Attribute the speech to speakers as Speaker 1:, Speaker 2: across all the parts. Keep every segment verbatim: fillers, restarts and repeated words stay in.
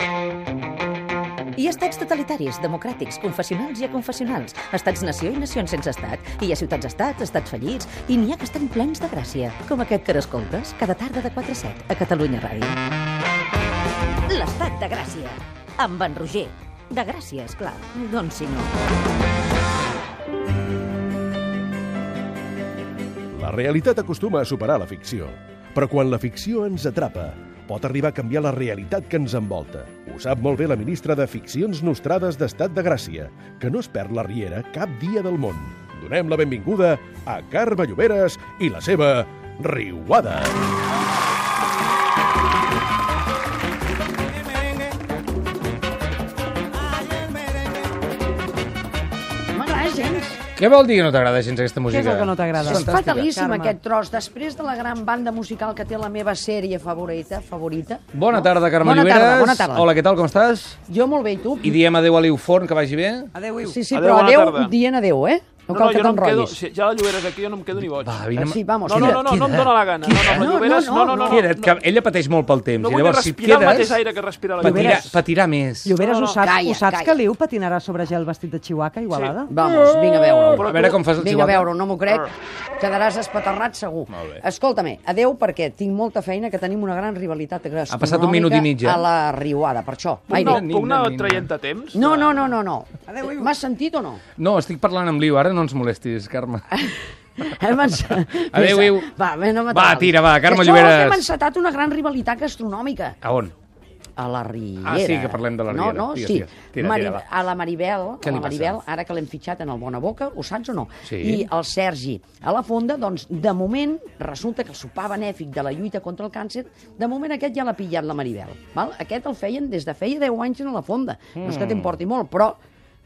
Speaker 1: Hi ha estats totalitaris, democràtics, confessionals i aconfessionals, estats-nació i nacions sense estat. I hi ha ciutats-estats, estats fallits, i n'hi ha que estan plens de gràcia, com aquest que escoltes cada tarda de quatre a set a Catalunya Ràdio. L'estat de Gràcia, amb en Roger. De Gràcia, esclar, doncs si no.
Speaker 2: La realitat acostuma a superar la ficció, però quan la ficció ens atrapa, pot arribar a canviar la realitat que ens envolta. Ho sap molt bé la ministra de Ficcions Nostrades d'Estat de Gràcia, que no es perd la riera cap dia del món. Donem la benvinguda a Carme Lloberes i la seva Riuada.
Speaker 3: Què vol dir que no t'agrada gens aquesta música?
Speaker 4: Què és el que no t'agrada?
Speaker 5: És fatalíssim aquest tros. Després de la gran banda musical que té la meva sèrie favorita, favorita.
Speaker 3: Bona tarda, Carme
Speaker 5: Bona
Speaker 3: Lloberes.
Speaker 5: tarda, bona tarda.
Speaker 3: Hola, què tal, com estàs?
Speaker 5: Jo molt bé, i tu?
Speaker 3: I diem adéu a l'Iu Forn, que vagi bé?
Speaker 4: Adéu, Iu.
Speaker 5: Sí, sí,
Speaker 6: Adéu,
Speaker 5: però
Speaker 6: bona
Speaker 5: adéu
Speaker 6: tarda.
Speaker 5: dient adéu, eh? No
Speaker 6: No,
Speaker 5: cal
Speaker 6: no,
Speaker 5: que
Speaker 6: jo no em quedo...
Speaker 5: t'enrotllis.
Speaker 6: Si ja la Lloberes aquí, jo no em quedo ni boig.
Speaker 3: Va, vine...
Speaker 5: Sí, vamos,
Speaker 6: No, no, no, no, no em dóna la gana. No, no, la
Speaker 5: No,
Speaker 6: Lloberes,
Speaker 5: no,
Speaker 6: no, no, no.
Speaker 3: Queda't, que ella pateix molt pel temps.
Speaker 6: No
Speaker 3: I
Speaker 6: vull
Speaker 3: llavors, si et
Speaker 6: respirar el
Speaker 3: quedes,
Speaker 6: mateix aire que respira la
Speaker 3: patirà,
Speaker 6: Lloberes.
Speaker 3: patirà més.
Speaker 4: Lloberes,
Speaker 6: No, no,
Speaker 4: ho saps,
Speaker 5: calla,
Speaker 4: ho saps
Speaker 5: calla.
Speaker 4: que l'Iu patinarà sobre gel vestit de Chihuahua a Igualada?
Speaker 5: Vamos, vinga a veure-ho.
Speaker 3: A veure com fas el
Speaker 5: Vinga a
Speaker 3: Chihuahua.
Speaker 5: veure-ho, no m'ho crec. Quedaràs espaterrat segur.
Speaker 3: Molt bé.
Speaker 5: Escolta-me, adéu perquè tinc molta feina, que tenim una gran rivalitat gastronòmica
Speaker 3: Ha passat un minut i mig, eh?
Speaker 5: a la Riuada, per això.
Speaker 6: Puc
Speaker 5: Ai,
Speaker 6: anar,
Speaker 5: bé.
Speaker 6: puc anar
Speaker 3: Ninga,
Speaker 6: traient a temps?
Speaker 5: No, no, no, no, no.
Speaker 4: Adéu, Iu.
Speaker 5: M'has sentit o no?
Speaker 3: No, estic parlant amb l'Iu, ara no ens molestis, Carme.
Speaker 5: Hem ens...
Speaker 3: Adéu, Iu.
Speaker 5: Va, bé, no
Speaker 3: Va,
Speaker 5: m'atrapis.
Speaker 3: tira, va, Carme
Speaker 5: Que
Speaker 3: Lloberes.
Speaker 5: Això hem encetat una gran rivalitat gastronòmica.
Speaker 3: A on?
Speaker 5: A la Riera.
Speaker 3: Ah, sí, que parlem de la
Speaker 5: No,
Speaker 3: Riera.
Speaker 5: no,
Speaker 3: Digues,
Speaker 5: sí.
Speaker 3: digues. Tira,
Speaker 5: Mari...
Speaker 3: tira, va.
Speaker 5: A la Maribel,
Speaker 3: Què
Speaker 5: a
Speaker 3: li
Speaker 5: la Maribel,
Speaker 3: passa?
Speaker 5: ara que l'hem fitxat en el Bona Boca, ho saps o no?
Speaker 3: Sí.
Speaker 5: I el Sergi. A la Fonda, doncs, de moment, resulta que el sopar benèfic de la lluita contra el càncer, de moment aquest ja l'ha pillat la Maribel. Val? Aquest el feien des de feia deu anys a la Fonda. No és que t'importi molt, però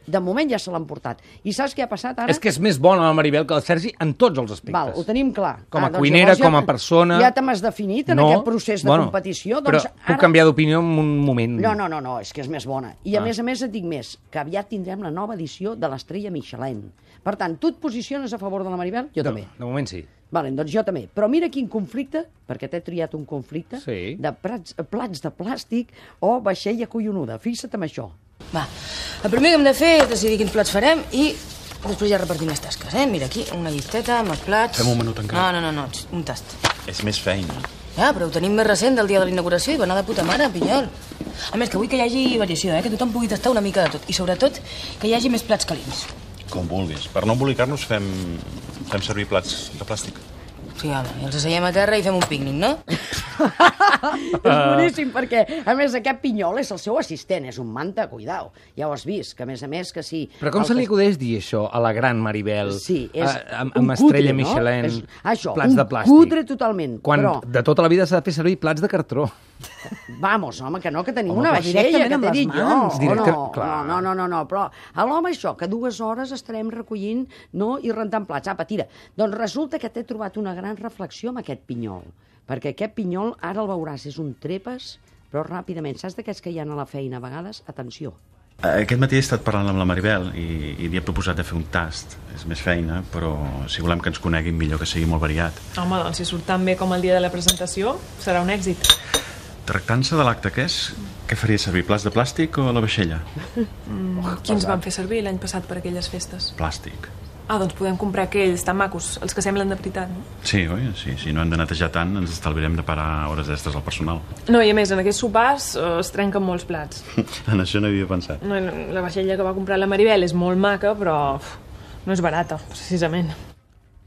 Speaker 5: de moment ja se l'han portat. I saps què ha passat ara?
Speaker 3: És que és més bona la Maribel que el Sergi en tots els aspectes.
Speaker 5: Val, ho tenim clar.
Speaker 3: Com a
Speaker 5: Ah, doncs
Speaker 3: cuinera,
Speaker 5: llavors ja-
Speaker 3: com a persona...
Speaker 5: Ja te m'has definit en
Speaker 3: No,
Speaker 5: aquest procés de
Speaker 3: bueno,
Speaker 5: competició.
Speaker 3: Però
Speaker 5: Doncs
Speaker 3: puc canviar d'opinió en un moment.
Speaker 5: No, no, no, no, és que és més bona. I a
Speaker 3: Ah.
Speaker 5: més a més et dic més, que aviat tindrem la nova edició de l'Estrella Michelin. Per tant, tu et posiciones a favor de la Maribel? Jo
Speaker 3: De,
Speaker 5: també.
Speaker 3: de moment sí.
Speaker 5: Vale, doncs jo també. Però mira quin conflicte, perquè t'he triat un conflicte,
Speaker 3: Sí.
Speaker 5: de plats, plats de plàstic o vaixella collonuda. Fixa't en això.
Speaker 7: Va, el primer que hem de fer és decidir quins plats farem i després ja repartim les tasques, eh? Mira aquí, una llisteta amb els plats...
Speaker 8: Fem un menú tancat.
Speaker 7: No, no, no, no, un tast.
Speaker 8: És més feina.
Speaker 7: Ja, però ho tenim més recent del dia de la inauguració i va anar de puta mare, Pinyol. A més, que vull que hi hagi variació, eh? Que tothom pugui tastar una mica de tot. I sobretot, que hi hagi més plats calents.
Speaker 8: Com vulguis. Per no embolicar-nos fem, fem servir plats de plàstic.
Speaker 7: Sí, home, i els asseiem a terra i fem un pícnic, no?
Speaker 5: És boníssim, perquè, a més, aquest pinyol és el seu assistent, és un manta, cuidao. Ja ho has vist, que a més a més que sí...
Speaker 3: Però com
Speaker 5: el
Speaker 3: se li
Speaker 5: que-
Speaker 3: acudeix dir això a la gran Maribel?
Speaker 5: Sí, és
Speaker 3: A- amb,
Speaker 5: un
Speaker 3: amb estrella
Speaker 5: cutre,
Speaker 3: Michelin,
Speaker 5: no? És, això,
Speaker 3: plats
Speaker 5: un
Speaker 3: de plàstic.
Speaker 5: cutre totalment,
Speaker 3: Quan
Speaker 5: però...
Speaker 3: de tota la vida s'ha de fer servir plats de cartró.
Speaker 5: Vamos, home, que no, que tenim
Speaker 3: Home,
Speaker 5: una
Speaker 3: però
Speaker 5: vaixella,
Speaker 4: directament
Speaker 5: que
Speaker 4: amb
Speaker 5: t'he
Speaker 4: les
Speaker 5: dit jo.
Speaker 4: mans.
Speaker 5: o
Speaker 3: Directe-
Speaker 5: no,
Speaker 3: clar.
Speaker 5: no, no, no, no, però a l'home això, que dues hores estarem recollint no, i rentant plats. Apa, tira. Doncs resulta que t'he trobat una gran reflexió amb aquest pinyol, perquè aquest pinyol, ara el veuràs, és un trepes, però ràpidament. Saps d'aquests que hi ha a la feina a vegades? Atenció.
Speaker 8: Aquest matí he estat parlant amb la Maribel i, i li he proposat de fer un tast. És més feina, però si volem que ens coneguin millor que sigui molt variat.
Speaker 9: Home, doncs si surt tan bé com el dia de la presentació, serà un èxit.
Speaker 8: Tractant-se de l'acte que és, què faria servir, plats de plàstic o la vaixella?
Speaker 9: Mm, quins van fer servir l'any passat per aquelles festes?
Speaker 8: Plàstic.
Speaker 9: Ah, doncs podem comprar aquells tan macos, els que semblen de veritat, no?
Speaker 8: Sí, oi? Sí, si no hem de netejar tant, ens estalviarem de parar hores extres al personal.
Speaker 9: No, i a més, en aquests sopars eh, es trenquen molts plats.
Speaker 8: En això no havia pensat.
Speaker 9: No, la vaixella que va comprar la Maribel és molt maca, però uf, no és barata, precisament.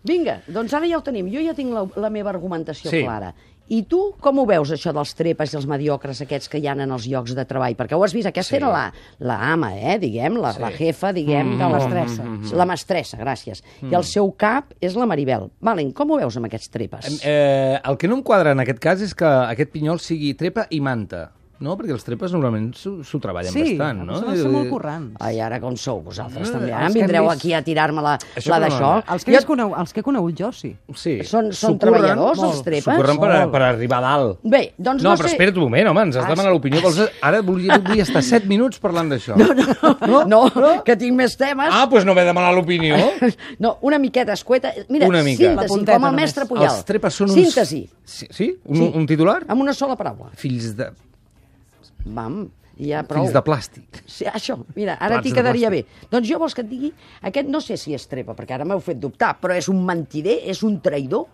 Speaker 5: Vinga, doncs ara ja ho tenim. Jo ja tinc la, la meva argumentació
Speaker 3: Sí.
Speaker 5: clara. I tu com ho veus, això dels trepes i els mediocres aquests que hi ha en els llocs de treball? Perquè ho has vist, aquesta
Speaker 3: Sí.
Speaker 5: era la, la ama, eh, diguem, la,
Speaker 3: Sí.
Speaker 5: la jefa, diguem, de la
Speaker 4: mestressa.
Speaker 5: La mestressa, gràcies. I el seu cap és la Maribel. Valen, com ho veus amb aquests trepes?
Speaker 3: Eh, el que no em quadra en aquest cas és que aquest pinyol sigui trepa i manta. No? Perquè els trepes normalment s'ho s'ho treballen
Speaker 4: Sí,
Speaker 3: bastant, no?
Speaker 4: són ser molt currants.
Speaker 5: Ai, ara com sou vosaltres,
Speaker 3: No,
Speaker 5: també.
Speaker 4: els
Speaker 5: Ara em
Speaker 4: que hem
Speaker 5: vindreu
Speaker 4: vist-
Speaker 5: aquí a tirar-me la,
Speaker 3: Això
Speaker 5: la
Speaker 3: no,
Speaker 5: d'això.
Speaker 3: no,
Speaker 4: Els que,
Speaker 5: Jo-
Speaker 4: jo... coneu, els que he conegut jo, sí.
Speaker 3: Sí.
Speaker 5: Són, són
Speaker 3: S'ho
Speaker 5: treballadors,
Speaker 3: curren,
Speaker 5: els trepes?
Speaker 3: S'ho curren per,
Speaker 5: Molt.
Speaker 3: per arribar a dalt.
Speaker 5: Bé, doncs
Speaker 3: No,
Speaker 5: no
Speaker 3: però
Speaker 5: sé...
Speaker 3: espera't un moment, home, ens has
Speaker 5: Ah,
Speaker 3: de demanar l'opinió. Vols... Ara volia, vull estar set minuts parlant d'això.
Speaker 5: No, no, no, no, que tinc més temes.
Speaker 3: Ah, doncs no m'he de demanar l'opinió.
Speaker 5: No, una miqueta escueta. Mira,
Speaker 3: Una mica.
Speaker 4: La
Speaker 5: síntesi,
Speaker 4: punteta
Speaker 5: com el
Speaker 4: només.
Speaker 5: mestre Puyal.
Speaker 3: Els trepes són uns...
Speaker 5: Síntesi,
Speaker 3: Sí? sí? Un,
Speaker 5: Sí.
Speaker 3: un titular?
Speaker 5: amb una sola paraula.
Speaker 3: Fills de...
Speaker 5: Vam, ja prou.
Speaker 3: Fills de plàstic.
Speaker 5: Sí, això, mira, ara
Speaker 3: Plats
Speaker 5: t'hi
Speaker 3: de
Speaker 5: quedaria bé.
Speaker 3: plàstic.
Speaker 5: Doncs jo vols que et digui, aquest no sé si és trepa, perquè ara m'heu fet dubtar, però és un mentider, és un traïdor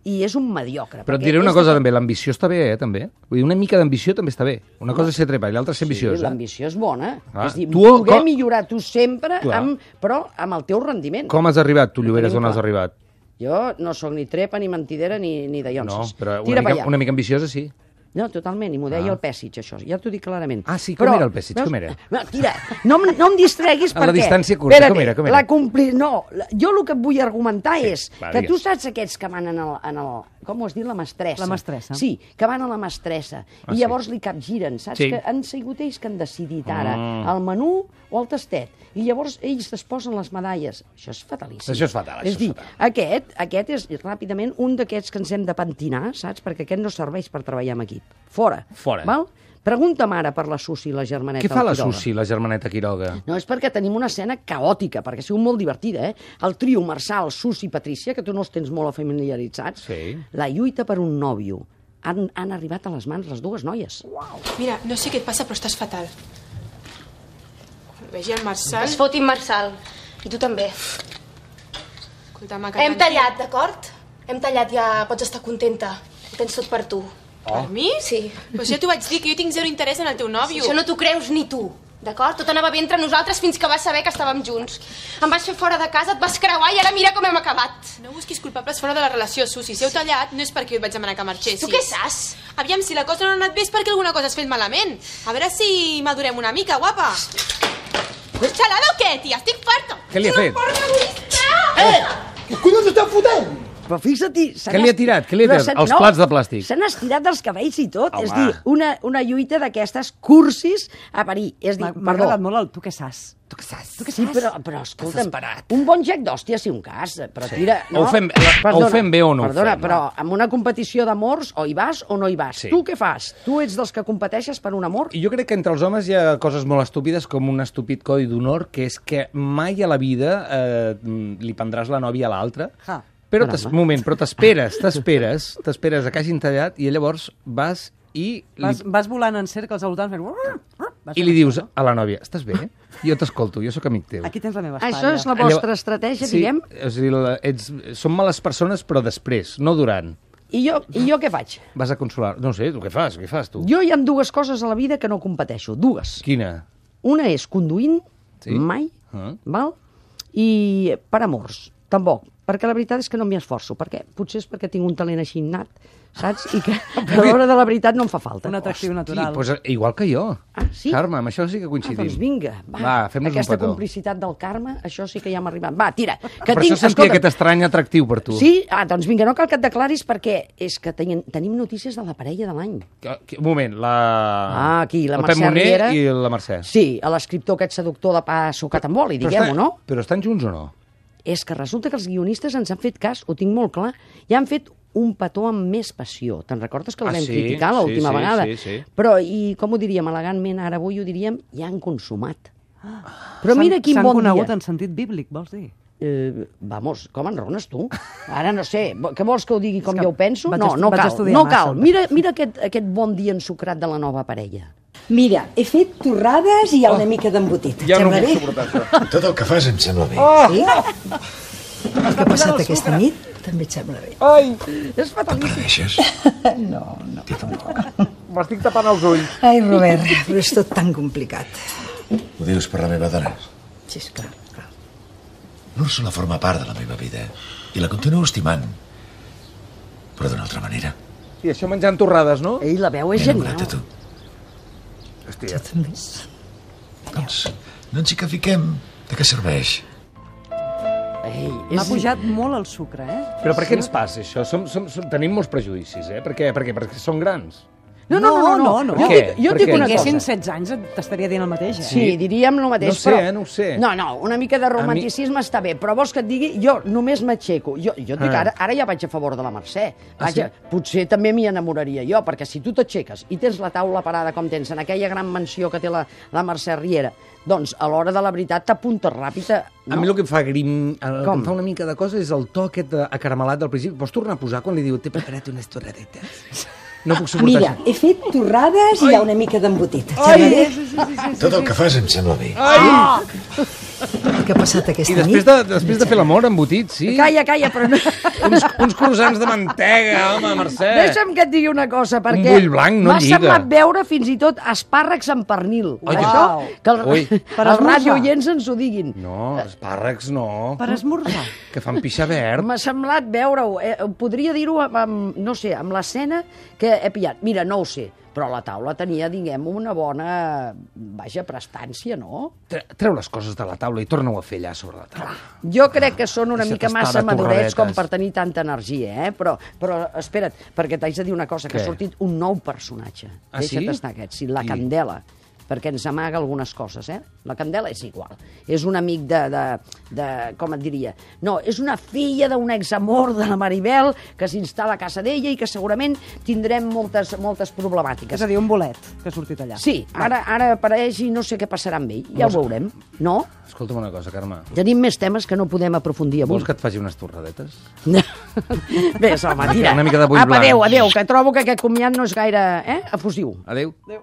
Speaker 5: i és un mediocre.
Speaker 3: Però et
Speaker 5: perquè
Speaker 3: diré una
Speaker 5: és
Speaker 3: cosa
Speaker 5: de-
Speaker 3: també, l'ambició està bé, eh, també. Vull dir, una mica d'ambició també està bé. Una cosa és ser trepa i l'altra és ser ambiciós,
Speaker 5: Sí,
Speaker 3: eh?
Speaker 5: l'ambició és bona.
Speaker 3: Ah,
Speaker 5: És dir,
Speaker 3: tu-
Speaker 5: poder
Speaker 3: com-
Speaker 5: millorar tu sempre,
Speaker 3: Clar.
Speaker 5: amb, però amb el teu rendiment.
Speaker 3: Com has arribat, tu, Lloberes,
Speaker 5: tenim
Speaker 3: on has
Speaker 5: clar.
Speaker 3: arribat?
Speaker 5: Jo no sóc ni trepa, ni mentidera, ni, ni de
Speaker 3: No,
Speaker 5: llonses.
Speaker 3: però
Speaker 5: Tira
Speaker 3: una
Speaker 5: pa
Speaker 3: mica,
Speaker 5: allà.
Speaker 3: una mica ambiciosa, sí.
Speaker 5: No, totalment, i m'ho deia
Speaker 3: Ah.
Speaker 5: el Pèssig, això, ja t'ho dic clarament.
Speaker 3: Ah, sí, com era el Pèssig, com era?
Speaker 5: No, tira, no, em- no em distreguis
Speaker 3: A la
Speaker 5: perquè...
Speaker 3: distància curta,
Speaker 5: Espera't,
Speaker 3: com era, com era?
Speaker 5: La compli... No, la- jo el que et vull argumentar
Speaker 3: Sí,
Speaker 5: és
Speaker 3: va,
Speaker 5: que
Speaker 3: digues.
Speaker 5: tu saps aquests que van en el... En el com ho has dit? La mestressa.
Speaker 4: La mestressa.
Speaker 5: Sí, que van a la mestressa.
Speaker 3: Ah,
Speaker 5: I
Speaker 3: sí.
Speaker 5: llavors li capgiren, saps?
Speaker 3: Sí.
Speaker 5: Que han sigut ells que han decidit ara
Speaker 3: Mm.
Speaker 5: el menú o el tastet. I llavors ells es posen les medalles. Això és fatalíssim.
Speaker 3: Això és fatal, això
Speaker 5: És
Speaker 3: és
Speaker 5: dir,
Speaker 3: fatal.
Speaker 5: aquest, aquest és ràpidament un d'aquests que ens hem de pentinar, saps? Perquè aquest no serveix per treballar en equip. Fora.
Speaker 3: Fora.
Speaker 5: Val? Pregunta'm ara per la Susi i la germaneta.
Speaker 3: Què fa la
Speaker 5: Quiroga.
Speaker 3: Susi, la germaneta Quiroga?
Speaker 5: No, és perquè tenim una escena caòtica, perquè ha sigut molt divertida, eh? El trio Marçal, Susi i Patrícia, que tu no els tens molt familiaritzats,
Speaker 3: Sí.
Speaker 5: la lluita per un nòvio. Han, han arribat a les mans les dues noies.
Speaker 9: Mira, no sé què et passa, però estàs fatal. Vegi el Marçal...
Speaker 7: Es fotin Marçal. I tu també.
Speaker 9: Escolta, ma, que
Speaker 7: Hem
Speaker 9: tranquil.
Speaker 7: tallat, d'acord? Hem tallat, ja pots estar contenta. Ho tens tot per tu.
Speaker 9: Per mi?
Speaker 7: Sí.
Speaker 9: Pues ja t'ho vaig dir, que jo tinc zero interès en el teu nòvio.
Speaker 7: Això no t'ho creus ni tu, d'acord? Tot anava bé entre nosaltres fins que vas saber que estàvem junts. Em vas fer fora de casa, et vas creuar i ara mira com hem acabat.
Speaker 9: No busquis culpables fora de la relació, Susi. Si heu tallat, no és perquè jo et vaig demanar que marxessis.
Speaker 7: Tu què saps?
Speaker 9: Aviam, si la cosa no ha anat bé és perquè alguna cosa has fet malament. A veure si madurem una mica, guapa. Xalada o què, tia? Estic farta.
Speaker 3: Què li ha fet?
Speaker 10: Què collons esteu fotent?
Speaker 5: Però fixa-t'hi... se
Speaker 3: Què
Speaker 5: n'ha
Speaker 3: li ha
Speaker 5: esti-
Speaker 3: tirat? Què li ha
Speaker 5: Però
Speaker 3: tirat?
Speaker 5: se-
Speaker 3: Els plats de plàstic.
Speaker 5: Se n'ha estirat dels cabells i tot.
Speaker 3: Home.
Speaker 5: És dir, una, una lluita d'aquestes cursis a parir. És dir,
Speaker 4: M'ha m'ha
Speaker 5: perdó.
Speaker 4: agradat molt el tu què saps. Tu què saps? Tu què
Speaker 5: Sí,
Speaker 4: saps?
Speaker 5: però, però escolta'm, un bon gec d'hòstia sí un cas, però tira...
Speaker 3: O ho fem- o ho fem bé o no ho
Speaker 5: Perdona,
Speaker 3: fem,
Speaker 5: però en una competició d'amors o hi vas o no hi vas.
Speaker 3: Sí.
Speaker 5: Tu què fas? Tu ets dels que competeixes per un amor?
Speaker 3: I jo crec que entre els homes hi ha coses molt estúpides com un estúpid codi d'honor, que és que mai a la vida eh, li prendràs la nòvia a l'altre.
Speaker 4: Ja.
Speaker 3: Però,
Speaker 5: Caramba.
Speaker 3: t'es- moment, però t'esperes, t'esperes, t'esperes a que hagin tallat i llavors vas i li,
Speaker 4: Vas, vas volant en cercles al voltant fent... Vas
Speaker 3: i
Speaker 4: fent
Speaker 3: li
Speaker 4: això,
Speaker 3: dius
Speaker 4: no?
Speaker 3: a la nòvia, estàs bé? Jo t'escolto, jo sóc amic teu.
Speaker 4: Aquí tens la meva espatlla.
Speaker 5: Això és la vostra estratègia,
Speaker 3: sí,
Speaker 5: diguem?
Speaker 3: O sigui, la, ets, som males persones, però després, no durant.
Speaker 5: I jo, I jo què faig?
Speaker 3: Vas a consolar... No sé, tu què fas? Què fas, tu?
Speaker 5: Jo hi ha dues coses a la vida que no competeixo. Dues.
Speaker 3: Quina?
Speaker 5: Una és conduint,
Speaker 3: Sí.
Speaker 5: mai,
Speaker 3: Ah.
Speaker 5: val? I per amors, tampoc. Perquè la veritat és que no m'hi esforço. Per què? Potser és perquè tinc un talent així innat, saps? I que a l'hora de la veritat no em fa falta.
Speaker 4: Un atractiu
Speaker 3: Sí,
Speaker 4: natural.
Speaker 3: doncs, igual que jo.
Speaker 5: Ah, sí?
Speaker 3: Carme, amb això sí que
Speaker 5: Ah,
Speaker 3: coincidim.
Speaker 5: doncs vinga, va.
Speaker 3: Va, fem-nos un
Speaker 5: Aquesta
Speaker 3: petó.
Speaker 5: complicitat del Carme, això sí que ja m'ha arribat. Va, tira. Que
Speaker 3: Per
Speaker 5: tinc,
Speaker 3: això sentia
Speaker 5: escolta,
Speaker 3: aquest estrany atractiu per tu.
Speaker 5: Sí? Ah, doncs vinga, no cal que et declaris perquè és que tenim, tenim notícies de la parella de l'any.
Speaker 3: Que- que- Un moment, la...
Speaker 5: Ah, aquí, la
Speaker 3: el Pep
Speaker 5: Mercè
Speaker 3: Moner
Speaker 5: Riera.
Speaker 3: i la Mercè.
Speaker 5: Sí, a l'escriptor aquest seductor de pa sucat amb oli,
Speaker 3: Però
Speaker 5: diguem-ho,
Speaker 3: està-
Speaker 5: no?
Speaker 3: Però estan junts o no?
Speaker 5: És que resulta que els guionistes ens han fet cas, ho tinc molt clar, i han fet un petó amb més passió. Te'n recordes que el
Speaker 3: Ah,
Speaker 5: vam
Speaker 3: sí?
Speaker 5: criticar
Speaker 3: Sí,
Speaker 5: l'última
Speaker 3: sí,
Speaker 5: vegada?
Speaker 3: sí, sí.
Speaker 5: Però, i com ho diríem elegantment, ara avui ho diríem, ja han consumat. Però
Speaker 4: S'han-
Speaker 5: mira quin
Speaker 4: S'han
Speaker 5: bon
Speaker 4: conegut
Speaker 5: dia.
Speaker 4: en sentit bíblic, vols dir?
Speaker 5: Eh, vamos, com enrones tu? Ara no sé, què vols que ho digui com
Speaker 4: És que
Speaker 5: jo ho penso?
Speaker 4: vaig
Speaker 5: No,
Speaker 4: estu-
Speaker 5: no
Speaker 4: vaig
Speaker 5: cal,
Speaker 4: estudiar
Speaker 5: no
Speaker 4: massa.
Speaker 5: cal. Mira, mira aquest, aquest bon dia ensucrat de la nova parella.
Speaker 11: Mira, he fet torrades i hi ha una mica d'embotit.
Speaker 3: Ja no
Speaker 11: Sembla
Speaker 3: puc
Speaker 11: bé?
Speaker 3: suportar això.
Speaker 10: Tot el que fas em sembla bé.
Speaker 11: Sí? El que ha passat aquesta nit també et sembla bé.
Speaker 3: Ai,
Speaker 5: És fatalíssim.
Speaker 10: Pateixes?
Speaker 11: No, no.
Speaker 3: m'estic tapant els ulls.
Speaker 11: Ai, Robert, però és tot tan complicat.
Speaker 10: Ho dius per la meva dona?
Speaker 11: Sí, esclar, clar.
Speaker 10: L'Úrsula forma part de la meva vida i la continuo estimant, però d'una altra manera.
Speaker 3: I això menjant torrades, no?
Speaker 5: Ei, la veu és
Speaker 10: M'he enamorat
Speaker 5: genial.
Speaker 10: de tu.
Speaker 3: Hòstia.
Speaker 11: Tu també.
Speaker 10: Doncs no ens hi que fiquem. De què serveix?
Speaker 5: Ei,
Speaker 4: M'ha
Speaker 5: és...
Speaker 4: pujat molt el sucre, eh?
Speaker 3: Però per què ens passa això? Som, som, som, tenim molts prejudicis, eh? Per què? Per què? Perquè som grans.
Speaker 5: No, no, no, no.
Speaker 4: no, no.
Speaker 5: Jo,
Speaker 3: Per què?
Speaker 5: dic, jo
Speaker 3: Per
Speaker 5: dic
Speaker 3: què?
Speaker 5: una
Speaker 4: Tinguessin
Speaker 5: cosa.
Speaker 4: setze anys t'estaria dient el mateix, eh?
Speaker 5: Sí, diríem el mateix,
Speaker 3: No sé,
Speaker 5: però...
Speaker 3: eh, no ho sé.
Speaker 5: No, no, una mica de romanticisme està bé, però vols que et digui, jo només m'aixeco. Jo, jo et dic,
Speaker 3: Ah.
Speaker 5: ara, ara ja vaig a favor de la Mercè.
Speaker 3: Ah,
Speaker 5: Vaja,
Speaker 3: sí?
Speaker 5: potser també m'hi enamoraria jo, perquè si tu t'aixeques i tens la taula parada com tens en aquella gran mansió que té la, la Mercè Riera, doncs a l'hora de la veritat t'apuntes ràpid a...
Speaker 3: A mi el que em fa grim, el que
Speaker 5: Com?
Speaker 3: em fa una mica de cosa és el to aquest acaramelat del principi. Pots tornar a posar quan li diu t'he preparat unes torradetes? No puc suportar
Speaker 11: Mira,
Speaker 3: això.
Speaker 11: he fet torrades i hi ha una mica d'embotit. Et
Speaker 3: Ai.
Speaker 11: sembla bé?
Speaker 3: Sí, sí, sí, sí,
Speaker 10: Tot el que fas em sembla bé.
Speaker 3: Ai!
Speaker 11: Què ha passat
Speaker 3: I
Speaker 11: aquesta
Speaker 3: després
Speaker 11: nit?
Speaker 3: de, després de fer l'amor embotit, sí.
Speaker 5: Calla, calla, però no...
Speaker 3: Uns, uns croissants de mantega, home, Mercè.
Speaker 5: Deixa'm que et digui una cosa, perquè
Speaker 3: bull blanc no
Speaker 5: m'ha
Speaker 3: lliga.
Speaker 5: semblat veure fins i tot espàrrecs amb pernil.
Speaker 3: Ai,
Speaker 5: Això, que el,
Speaker 3: Ui.
Speaker 4: Per
Speaker 5: els
Speaker 4: esmorzar.
Speaker 5: radioients ens ho diguin.
Speaker 3: No, espàrrecs no.
Speaker 4: Per esmorzar.
Speaker 3: Que fan pixar verd.
Speaker 5: M'ha semblat veure-ho. Eh, podria dir-ho amb, amb, no sé, amb l'escena que he pillat. Mira, no ho sé, però la taula tenia, diguem, una bona, vaja, prestància, no?
Speaker 3: Tre- Treu les coses de la taula i torna-ho a fer allà sobre la taula.
Speaker 5: Jo crec que són una
Speaker 3: Deixa't
Speaker 5: mica
Speaker 3: estar
Speaker 5: massa
Speaker 3: de
Speaker 5: madurets com
Speaker 3: torradetes.
Speaker 5: per tenir tanta energia, eh? Però, però espera't, perquè t'haig de dir una cosa, que
Speaker 3: Què?
Speaker 5: ha sortit un nou personatge.
Speaker 3: Ah, sí?
Speaker 5: Deixa't estar aquest, sí, la
Speaker 3: Qui?
Speaker 5: Candela, perquè ens amaga algunes coses, eh? La Candela és igual. És un amic de, de, de com et diria? No, és una filla d'un examor de la Maribel que s'instal·la a casa d'ella i que segurament tindrem moltes, moltes problemàtiques.
Speaker 4: És a dir, un bolet que ha sortit allà.
Speaker 5: Sí, ara, ara apareix i no sé què passarà amb ell. Ja ho veurem, no?
Speaker 3: Escolta'm una cosa, Carme.
Speaker 5: Tenim més temes que no podem aprofundir avui.
Speaker 3: Vols que et faci unes torradetes?
Speaker 5: Bé, home, tira.
Speaker 3: Una mica de bull
Speaker 5: Apa,
Speaker 3: blanc.
Speaker 5: adéu, adéu, que trobo que aquest comiat no és gaire eh, efusiu.
Speaker 3: Adéu.
Speaker 5: Adéu.